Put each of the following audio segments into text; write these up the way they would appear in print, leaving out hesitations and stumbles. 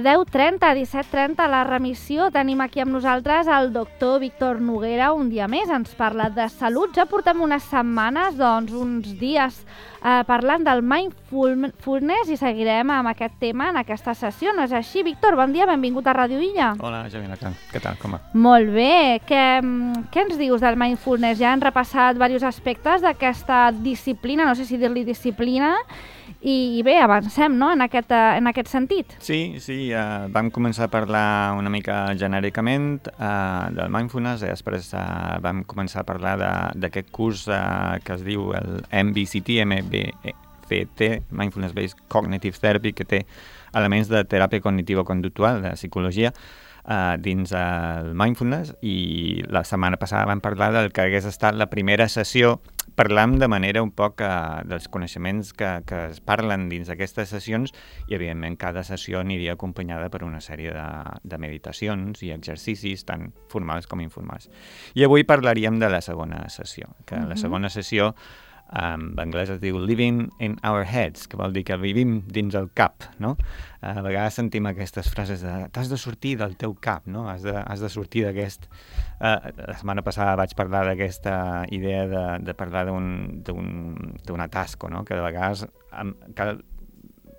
bé, 10:30, 17:30, la remissió. Tenim aquí amb nosaltres el doctor Víctor Noguera un dia més. Ens parla de salut. Ja portem unes setmanes, uns dies, parlant del mindfulness i seguirem amb aquest tema en aquesta sessió. No és així? Víctor, bon dia, benvingut a Ràdio Illa. Hola, Javina, què tal, com va? Molt bé. Què ens dius del mindfulness? Ja han repassat diversos aspectes d'aquesta disciplina, no sé si dir-li disciplina, i bé, avancem, no?, en aquest sentit. Sí, vam començar a parlar una mica genèricament del mindfulness i després vam començar a parlar d'aquest curs que es diu el MBCT, Mindfulness Based Cognitive Therapy, que té elements de teràpia cognitivo-conductual, de psicologia, dins el mindfulness, i la setmana passada vam parlar del que hagués estat la primera sessió. Parlam de manera un poc dels coneixements que es parlen dins d'aquestes sessions i, evidentment, cada sessió aniria acompanyada per una sèrie de meditacions i exercicis, tant formals com informals. I avui parlaríem de la segona sessió, que la segona sessió en anglès es diu Living in Our Heads, que vol dir que vivim dins el cap, no? A vegades sentim aquestes frases de t'has de sortir del teu cap, no? Has de sortir d'aquest... La setmana passada vaig parlar d'aquesta idea de parlar d'un atasco, no? Que de vegades cal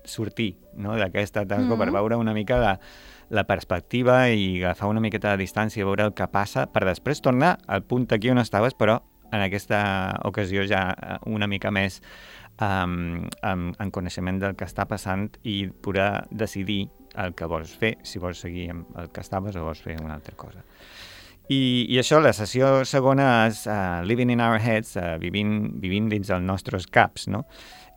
sortir, no?, d'aquest atasco per veure una mica la perspectiva i agafar una miqueta de distància, veure el que passa, per després tornar al punt aquí on estaves, però en aquesta ocasió ja una mica més en coneixement del que està passant i poder decidir el que vols fer, si vols seguir amb el que estaves o vols fer una altra cosa. I això, la sessió segona és Living in Our Heads, vivint dins els nostres caps, no?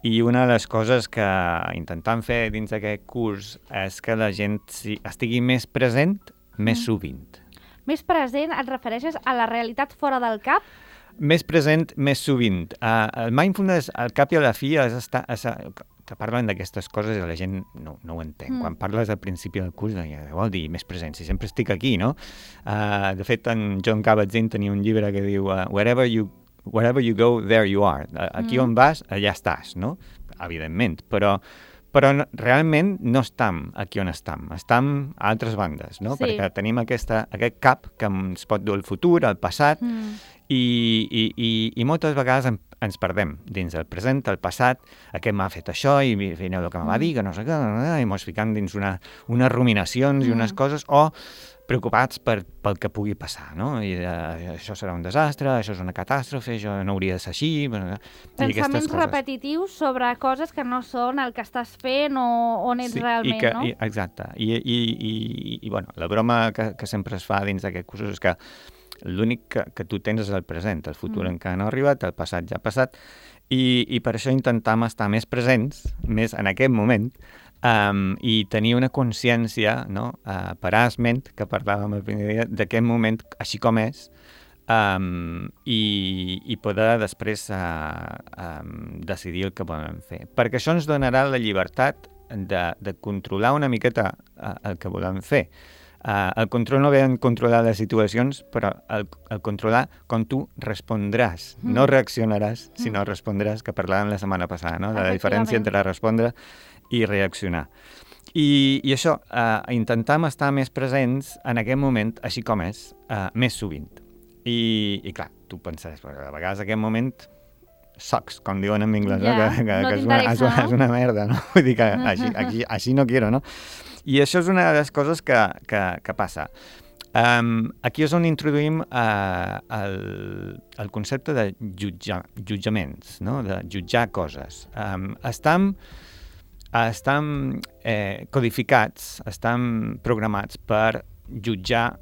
I una de les coses que intentem fer dins d'aquest curs és que la gent estigui més present, més sovint. Més present, et refereixes a la realitat fora del cap? Més present, més sovint. El mindfulness, al cap i a la fi, que parlen d'aquestes coses i la gent no ho entén. Quan parles al principi del curs, què vol dir més present? Si sempre estic aquí, no? De fet, en John Kabat-Zinn tenia un llibre que diu Wherever you go, there you are. Aquí on vas, allà estàs, no? Evidentment, però realment no estem aquí on estem a altres bandes, no? Sí. Perquè tenim aquest cap que ens pot dur el futur, el passat, i moltes vegades ens perdem dins el present, el passat, aquest m'ha fet això i veieu el que me va dir, que no sé què, i ens ficam dins unes ruminacions i unes coses, o preocupats pel que pugui passar, no? I això serà un desastre, això és una catàstrofe, això no hauria de ser així... Pensaments repetitius sobre coses que no són el que estàs fent o on ets realment, no? Exacte. I bueno, la broma que sempre es fa dins d'aquest curs és que l'únic que tu tens és el present, el futur encara no ha arribat, el passat ja ha passat, i per això intentem estar més presents, més en aquest moment, i tenir una consciència, no? Parasment, que parlàvem el primer dia, d'aquest moment així com és, i poder després decidir el que volem fer. Perquè això ens donarà la llibertat de controlar una miqueta el que volem fer. El control no ve en controlar les situacions, però el controlar com tu respondràs. No reaccionaràs, sinó respondràs, que parlàvem la setmana passada, no? De la diferència entre respondre i reaccionar. I això, intentem estar més presents en aquest moment, així com és, més sovint. I clar, tu pensaràs, a vegades aquest moment sucks, com diuen en anglès, que és una merda, no? Vull dir que així no quiero, no? I això és una de les coses que passa. Aquí és on introduïm el concepte de jutjaments, no? De jutjar coses. Estan codificats, estan programats per jutjar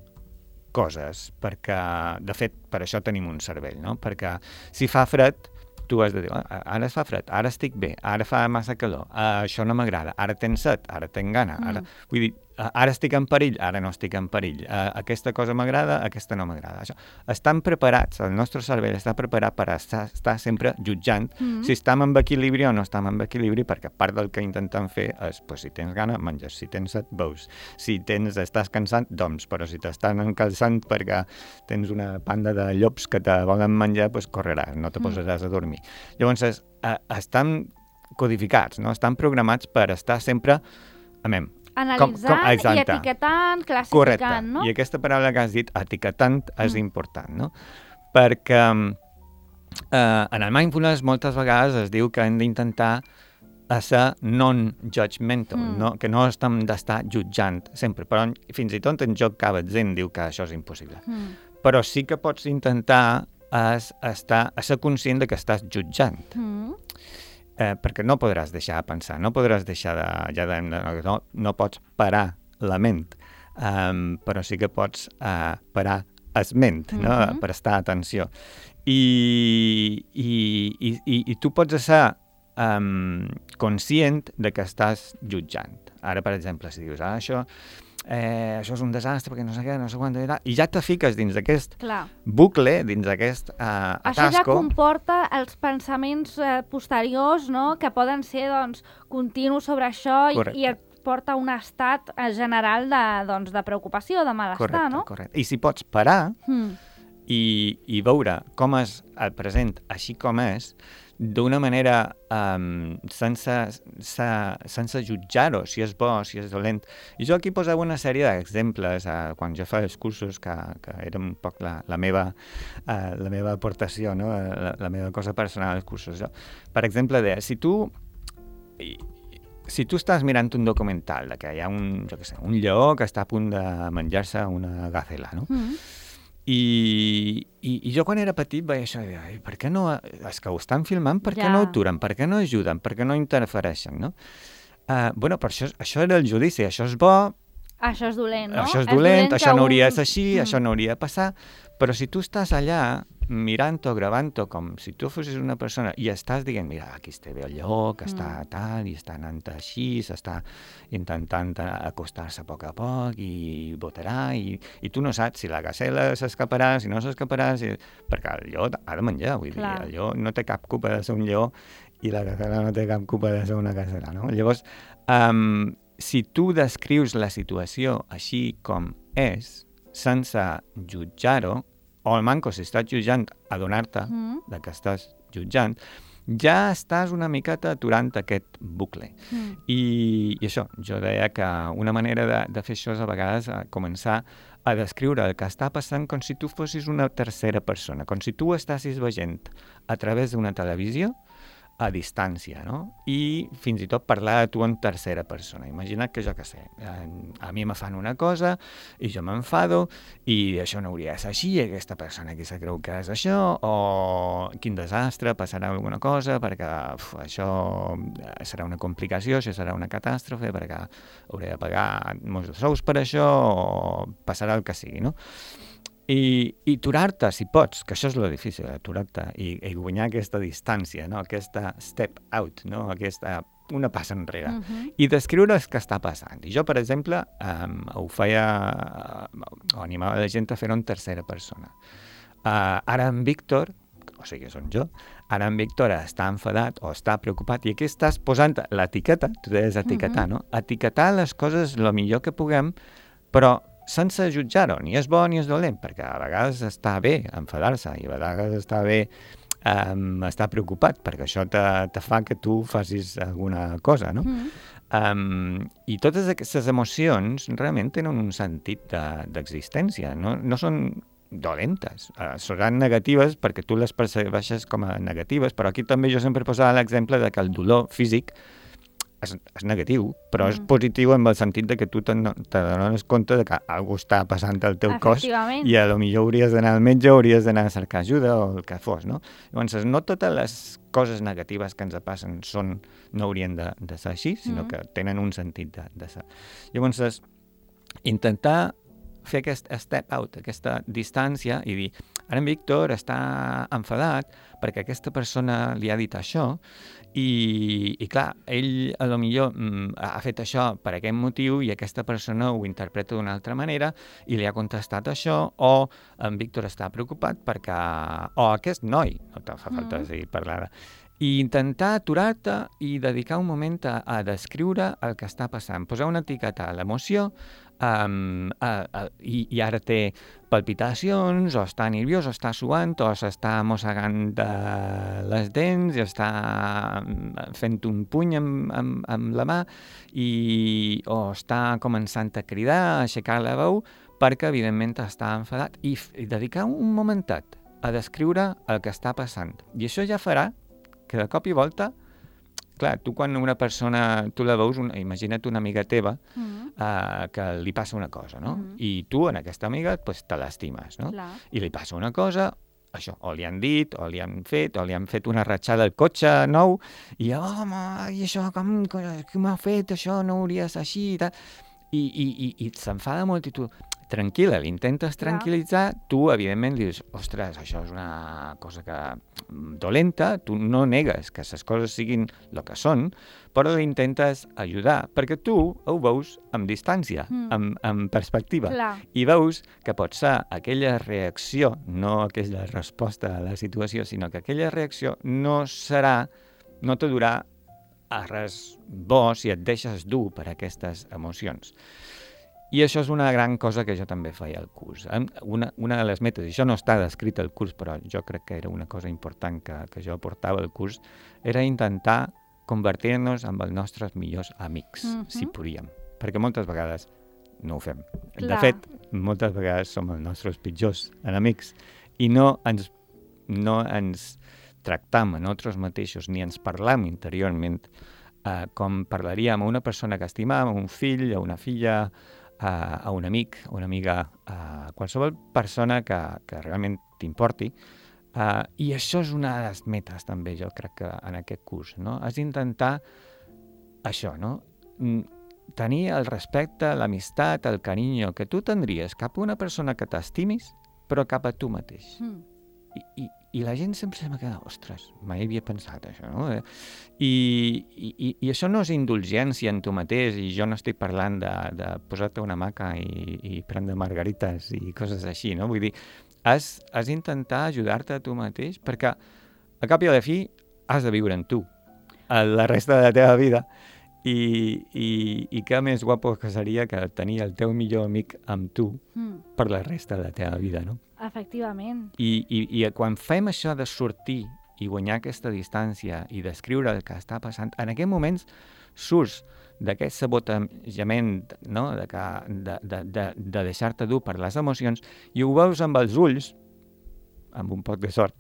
coses, perquè, de fet, per això tenim un cervell, no? Perquè si fa fred, tu has de dir, ara fa fred, ara estic bé, ara fa massa calor, això no m'agrada, ara tens set, ara tenc gana, vull dir, ara estic en perill, ara no estic en perill, aquesta cosa m'agrada, aquesta no m'agrada. Estan preparats, el nostre cervell està preparat per estar sempre jutjant si estem en equilibri o no estem en equilibri, perquè part del que intentem fer és, si tens gana, menges, si tens set, beus, si estàs cansat, dorms, però si t'estan encalçant perquè tens una panda de llops que te volen menjar, correràs, no te posaràs a dormir. Llavors, estan codificats, no? Estan programats per estar sempre Analitzant i etiquetant, classificant, correcte. no? I aquesta paraula que has dit, etiquetant, és important, no? Perquè en el mindfulness moltes vegades es diu que hem d'intentar ser non-judgmental, que no estem d'estar jutjant sempre, però fins i tot en Joe Kabat-Zinn diu que això és impossible. Però sí que pots intentar ser conscient de que estàs jutjant. Perquè no podràs deixar de pensar, no podràs deixar no pots parar la ment, però sí que pots parar el ment, no? Prestar atenció. I tu pots ser conscient de que estàs jutjant. Ara, per exemple, si dius, això és un desastre perquè no sé què, no sé quant, i ja te fiques dins d'aquest bucle, dins d'aquest atasco. Això ja comporta els pensaments posteriors, no?, que poden ser continus sobre això i et porta un estat general de preocupació, de malestar, no? Correcte. I si pots parar i veure com és el present així com és, d'una manera sense jutjar-ho, si és bo, si és dolent. I jo aquí posava una sèrie d'exemples quan jo feia els cursos, que era un poc la meva aportació, no? La meva cosa personal als cursos. Per exemple, si tu estàs mirant un documental de que hi ha un lleó que està a punt de menjar-se una gacela, no? I jo quan era petit veia això i deia, per què no, els que ho estan filmant, per què no aturen, per què no ajuden, per què no interfereixen, no? Però això era el judici, això és bo, això és dolent, no? Això és dolent, això no hauria de ser així, això no hauria de passar, però si tu estàs allà mirant-ho, gravant-ho, com si tu fossis una persona i estàs dient, mira, aquí està bé el lleó, que està tal, i està anant així, s'està intentant acostar-se a poc i botarà, i tu no saps si la gacela s'escaparà, si no s'escaparà, perquè el lleó ha de menjar, vull dir, el lleó no té cap culpa de ser un lleó i la gacela no té cap culpa de ser una gacela, no? Llavors, si tu descrius la situació així com és, sense jutjar-ho, o el manco, si estàs jutjant, adonar-te de que estàs jutjant, ja estàs una miqueta aturant aquest bucle. I això, jo deia que una manera de fer això és a vegades començar a descriure el que està passant com si tu fossis una tercera persona, com si tu estàssis veient a través d'una televisió a distància, no? I fins i tot parlar de tu en tercera persona. Imagina't que jo què sé, a mi me fan una cosa i jo m'enfado i això no hauria de ser així, aquesta persona aquí se creu que és això, o quin desastre, passarà alguna cosa perquè això serà una complicació, això serà una catàstrofe perquè hauré de pagar molts sous per això o passarà el que sigui, no? I aturar-te, si pots, que això és lo difícil, aturar-te i guanyar aquesta distància, no? Aquesta step out, no? Aquesta una passa enrere, i descriure el que està passant. I jo, per exemple, ho feia, o animava la gent a fer-ho en tercera persona. Ara en Víctor, o sigui, som jo, ara en Víctor està enfadat o està preocupat, i aquí estàs posant l'etiqueta, tu deies etiquetar, no? Etiquetar les coses el millor que puguem, però sense jutjar-ho, ni és bo ni és dolent, perquè a vegades està bé enfadar-se i a vegades està bé estar preocupat, perquè això te fa que tu facis alguna cosa, no? I totes aquestes emocions realment tenen un sentit d'existència, no són dolentes, seran negatives perquè tu les percebeixes com a negatives, però aquí també jo sempre posava l'exemple de que el dolor físic és negatiu, però és positiu en el sentit de que tu t'adones compte de que alguna cosa està passant al teu cos i a lo millor hauries d'anar al metge, hauries d'anar a cercar ajuda o el que fos, no? Llavors, no totes les coses negatives que ens passen no haurien de ser així, sinó que tenen un sentit de ser. Llavors, intentar fer aquest step out, aquesta distància i dir, ara en Víctor està enfadat perquè aquesta persona li ha dit això i clar, ell a lo millor ha fet això per aquest motiu i aquesta persona ho interpreta d'una altra manera i li ha contestat això, o en Víctor està preocupat perquè... o aquest noi, no te fa falta parlar, i intentar aturar-te i dedicar un moment a descriure el que està passant, posar una etiqueta a l'emoció i ara té palpitacions, o està nerviós, o està suant, o s'està mossegant les dents, i està fent un puny amb la mà, o està començant a cridar, a aixecar la veu, perquè evidentment està enfadat, i dedicar un momentet a descriure el que està passant. I això ja farà que de cop i volta, clar, tu quan una persona, tu la veus, imagina't una amiga teva que li passa una cosa, no? I tu en aquesta amiga pues, te l'estimes, no? Clar. I li passa una cosa, això, o li han dit, o li han fet una ratxada al cotxe nou, i home, i això, com m'ha fet això, no hauria de ser així, i tal. I s'enfada molt, i tu, tranquil·la, l'intentes tranquil·litzar, tu, evidentment, dius, ostres, això és una cosa dolenta, tu no negues que les coses siguin el que són, però l'intentes ajudar, perquè tu ho veus amb distància, amb perspectiva, i veus que pot ser aquella reacció, no aquella resposta a la situació, sinó que aquella reacció no te durà a res bo si et deixes dur per aquestes emocions. I això és una gran cosa que jo també feia al curs. Una de les metes, i això no està descrit al curs, però jo crec que era una cosa important que jo aportava al curs, era intentar convertir-nos en els nostres millors amics, si podíem. Perquè moltes vegades no ho fem. De fet, moltes vegades som els nostres pitjors enemics i no ens tractam a nosaltres mateixos ni ens parlam interiorment com parlaríem a una persona que estimam, a un fill, a una filla, a un amic, a una amiga, a qualsevol persona que realment t'importi. I això és una de les metes també, jo crec que en aquest curs, no? És intentar això, no? Tenir el respecte, l'amistat, el carinyo que tu tindries cap a una persona que t'estimis, però cap a tu mateix. I la gent sempre se m'ha quedat, ostres, mai havia pensat això, no? I això no és indulgència en tu mateix, i jo no estic parlant de posar-te una hamaca i prendre margarites i coses així, no? Vull dir, has d'intentar ajudar-te a tu mateix, perquè a cap i a la fi has de viure en tu la resta de la teva vida, i què més guapo que seria que tenir el teu millor amic amb tu per la resta de la teva vida, no? Efectivament. I quan fem això de sortir i guanyar aquesta distància i descriure el que està passant, en aquests moments surts d'aquest sabotejament, no? de deixar-te dur per les emocions, i ho veus amb els ulls, amb un poc de sort,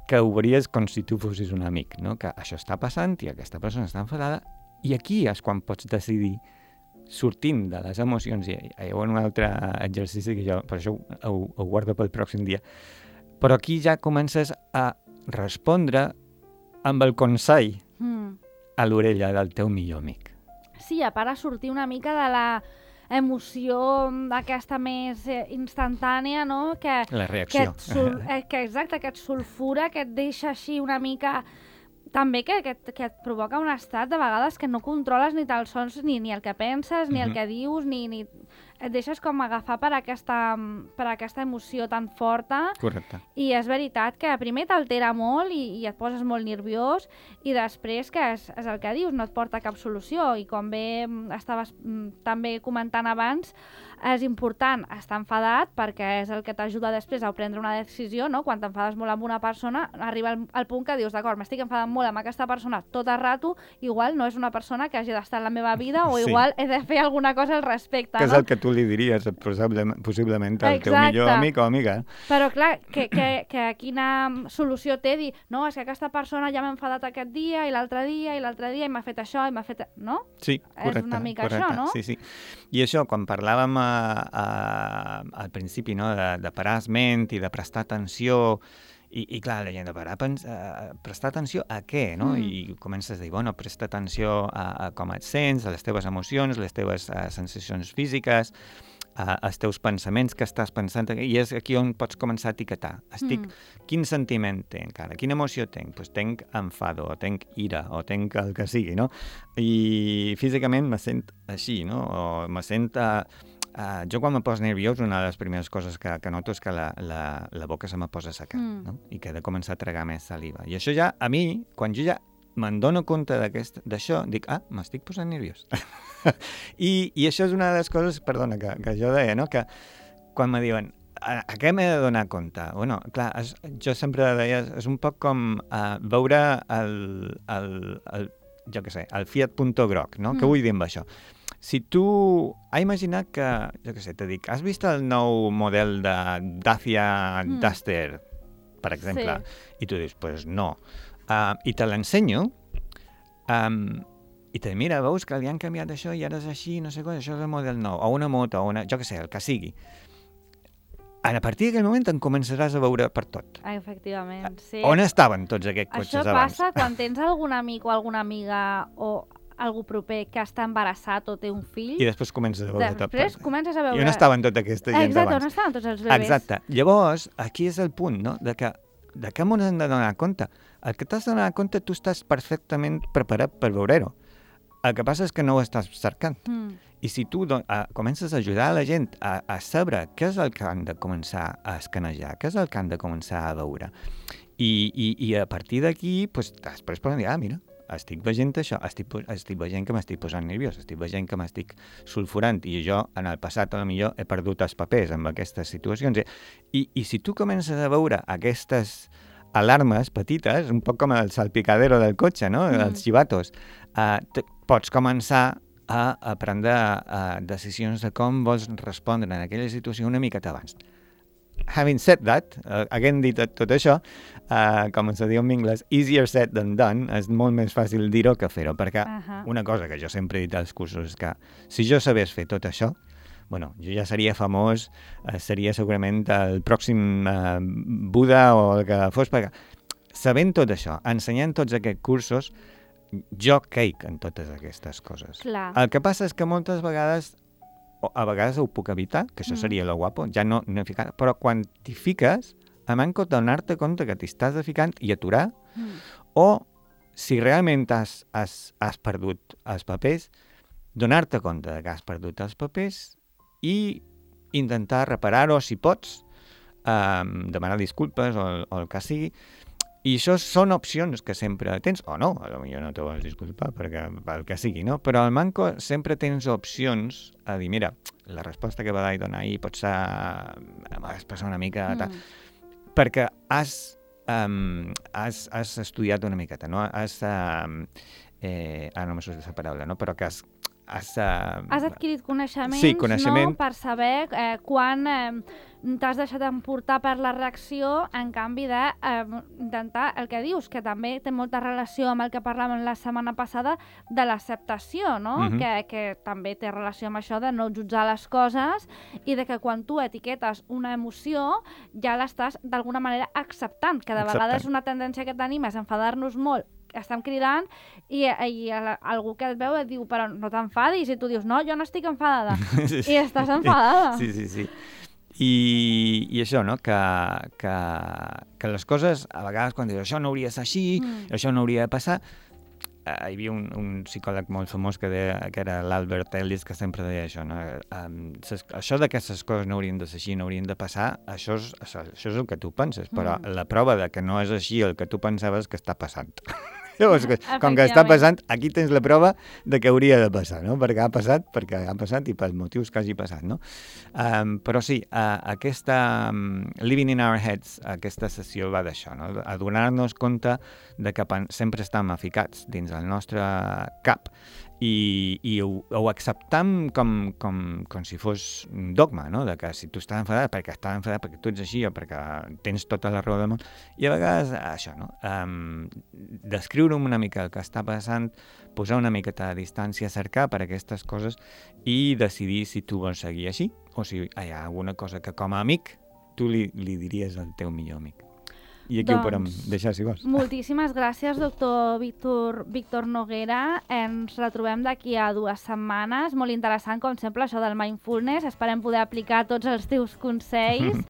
que ho veuries com si tu fossis un amic, no? Que això està passant i aquesta persona està enfadada, i aquí és quan pots decidir, sortint de les emocions, i hi ha un altre exercici que jo, per això ho guardo pel pròxim dia, però aquí ja comences a respondre amb el consell a l'orella del teu millor amic. Sí, a part a sortir una mica de la emoció aquesta més instantània, no? La reacció. Exacte, que et sulfura, que et deixa així una mica... També que et provoca un estat de vegades que no controles ni tan sols ni el que penses, ni el que dius, ni et deixes com agafar per aquesta emoció tan forta. Correcte. I és veritat que primer t'altera molt i et poses molt nerviós, i després que és el que dius, no et porta cap solució, i com bé estaves també comentant abans, és important estar enfadat perquè és el que t'ajuda després a prendre una decisió, no? Quan t'enfades molt amb una persona, arriba al punt que dius, d'acord, m'estic enfadant molt amb aquesta persona tot el rato, igual no és una persona que hagi d'estar en la meva vida, o igual he de fer alguna cosa al respecte. Que és el que tu li diries possiblement al teu millor amic o amiga. Però clar, que quina solució té dir, no, és que aquesta persona ja m'ha enfadat aquest dia, i l'altre dia, i m'ha fet això, i m'ha fet... No? Sí, correcte. És una mica això, no? Sí. I això, quan parlàvem al principi, no, de parar ment i de prestar atenció, i clar, la gent de parar prestar atenció a què, no? I comences a dir, bueno, presta atenció a com et sents, a les teves emocions, les teves sensacions físiques, als teus pensaments que estàs pensant, i és aquí on pots començar a etiquetar. Quin sentiment tenc ara? Quina emoció tenc? Doncs tenc enfado, o tenc ira, o tenc el que sigui, no? I físicament me sent així, no? O me sent... jo quan me poso nerviós, una de les primeres coses que noto és que la boca se me posa seca, no? I que he de començar a tragar més saliva. I això ja, a mi, quan jo ja me'n dono compte d'això, dic, m'estic posant nerviós. I això és una de les coses, perdona, que jo deia, no? Que quan me diuen, a què m'he de donar compte? Bueno, clar, jo sempre deia, és un poc com veure jo què sé, el Fiat Punto groc, no? Què vull dir amb això? Si tu... Ha imaginat que, jo què sé, te dic, has vist el nou model de Dacia Duster, per exemple? Sí. I tu dius, pues no. I te l'ensenyo, i te mira, veus que li han canviat això i ara és així, no sé què, això és el model nou, o una moto, o jo què sé, el que sigui. A partir d'aquell moment te'n començaràs a veure per tot. Efectivament, sí. On estaven tots aquests cotxes abans? Això passa quan tens algun amic o alguna amiga o algú proper que està embarassat o té un fill. I després comences a veure tot. Després comences a veure... I on estaven tota aquesta gent abans? Exacte, on estaven tots els bebès. Exacte. Llavors, aquí és el punt, no?, de què m'ho hem de donar compte. El que t'has de donar compte, tu estàs perfectament preparat per veure-ho. El que passa és que no ho estàs cercant. I si tu comences a ajudar la gent a saber què és el que han de començar a escanejar, què és el que han de començar a veure, i a partir d'aquí, pues, després poden dir, mira, estic veient això, estic veient que m'estic posant nerviós, estic veient que m'estic sulfurant, i jo en el passat potser he perdut els papers amb aquestes situacions. I si tu comences a veure aquestes alarmes petites, un poc com el salpicadero del cotxe, no?, els xivatos, pots començar a prendre decisions de com vols respondre en aquella situació una miqueta abans. Having said that, havent dit tot això, com se diu en anglès, easier said than done, és molt més fàcil dir-ho que fer-ho, perquè una cosa que jo sempre he dit als cursos és que si jo sabés fer tot això, bueno, jo ja seria famós, seria segurament el pròxim Buda o el que fos, perquè sabent tot això, ensenyant tots aquests cursos, jo caic en totes aquestes coses. Clar. El que passa és que moltes vegades, a vegades ho puc evitar, que això seria lo guapo, ja no he ficat, però quan t'hi fiques, a manco donar-te compte que t'hi estàs ficant i aturar, o si realment has perdut els papers, donar-te compte que has perdut els papers i intentar reparar-ho si pots, demanar disculpes o el que sigui. I això són opcions que sempre tens, o no, potser no te vols disculpar perquè el que sigui, no? Però al manco sempre tens opcions a dir, mira, la resposta que vaig donar ahir pot ser expressar una mica... Perquè has estudiat una miqueta, no? Ara no me surt la paraula, no? Però que has adquirit coneixements, sí, coneixement, no? Per saber quan t'has deixat emportar per la reacció, en canvi d'intentar el que dius, que també té molta relació amb el que parlàvem la setmana passada de l'acceptació, no? Que també té relació amb això de no jutjar les coses i de que quan tu etiquetes una emoció ja l'estàs d'alguna manera acceptant, que de vegades una tendència que tenim és enfadar-nos molt, estem cridant i algú que et veu et diu, però no t'enfadis, i tu dius, no, jo no estic enfadada, i estàs enfadada. Sí. I això, no?, que les coses, a vegades quan dius, això no hauria de ser així, això no hauria de passar, hi havia un psicòleg molt famós que era l'Albert Ellis, que sempre deia això, no? Això d'aquestes coses no haurien de ser així, no haurien de passar, això és el que tu penses, però la prova de que no és així el que tu pensaves que està passant. Llavors, com que està passant, aquí tens la prova de que hauria de passar, no? Perquè ha passat i pels motius que hagi passat, no? Però sí, aquesta Living in Our Heads, aquesta sessió va d'això, no? A donar-nos compte de que sempre estem aficats dins el nostre cap i ho acceptam com si fos un dogma, no? De que si tu estàs enfadat, perquè tu ets així o perquè tens tota la raó del món. I a vegades això, no? Descriure'm una mica el que està passant, posar una miqueta de distància, cercar per aquestes coses i decidir si tu vols seguir així o si hi ha alguna cosa que com a amic tu li diries al teu millor amic. I aquí ho podem deixar, si vols. Moltíssimes gràcies, doctor Víctor Noguera. Ens retrobem d'aquí a 2 setmanes. Molt interessant, com sempre, això del mindfulness. Esperem poder aplicar tots els teus consells.